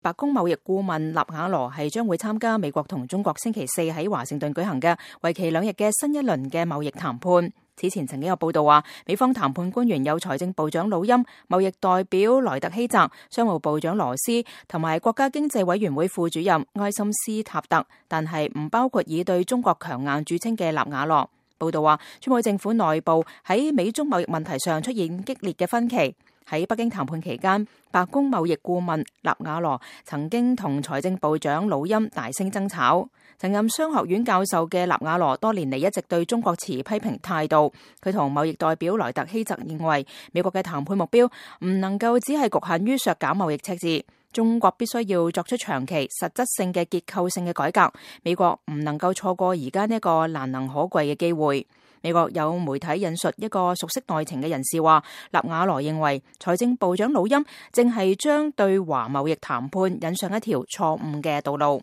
白宮貿易顧問納瓦羅係將會參加美國同中國星期四喺華盛頓舉行嘅為期2日嘅新一輪嘅貿易談判。此前曾經有報道話，美方談判官員有財政部長魯欽、貿易代表萊特希澤、商務部長羅斯同埋國家經濟委員會副主任埃森斯塔特，但係唔包括以對中國強硬著稱嘅納瓦羅。報道話，川普政府內部喺美中貿易問題上出現激烈嘅分歧。喺北京談判期間，白宮貿易顧問納瓦羅曾經同財政部長魯欽大聲爭吵。曾任商學院教授嘅納瓦羅多年嚟一直對中國持批評態度。佢同貿易代表萊特希澤認為，美國嘅談判目標唔能夠只係局限於削減貿易赤字，中國必須要作出長期實質性嘅結構性嘅改革。美國唔能夠錯過而家呢一個難能可貴嘅機會。美國有媒體引述一個熟悉內情嘅人士話，納瓦羅認為財政部長魯欽正係將對華貿易談判引上一條錯誤嘅道路。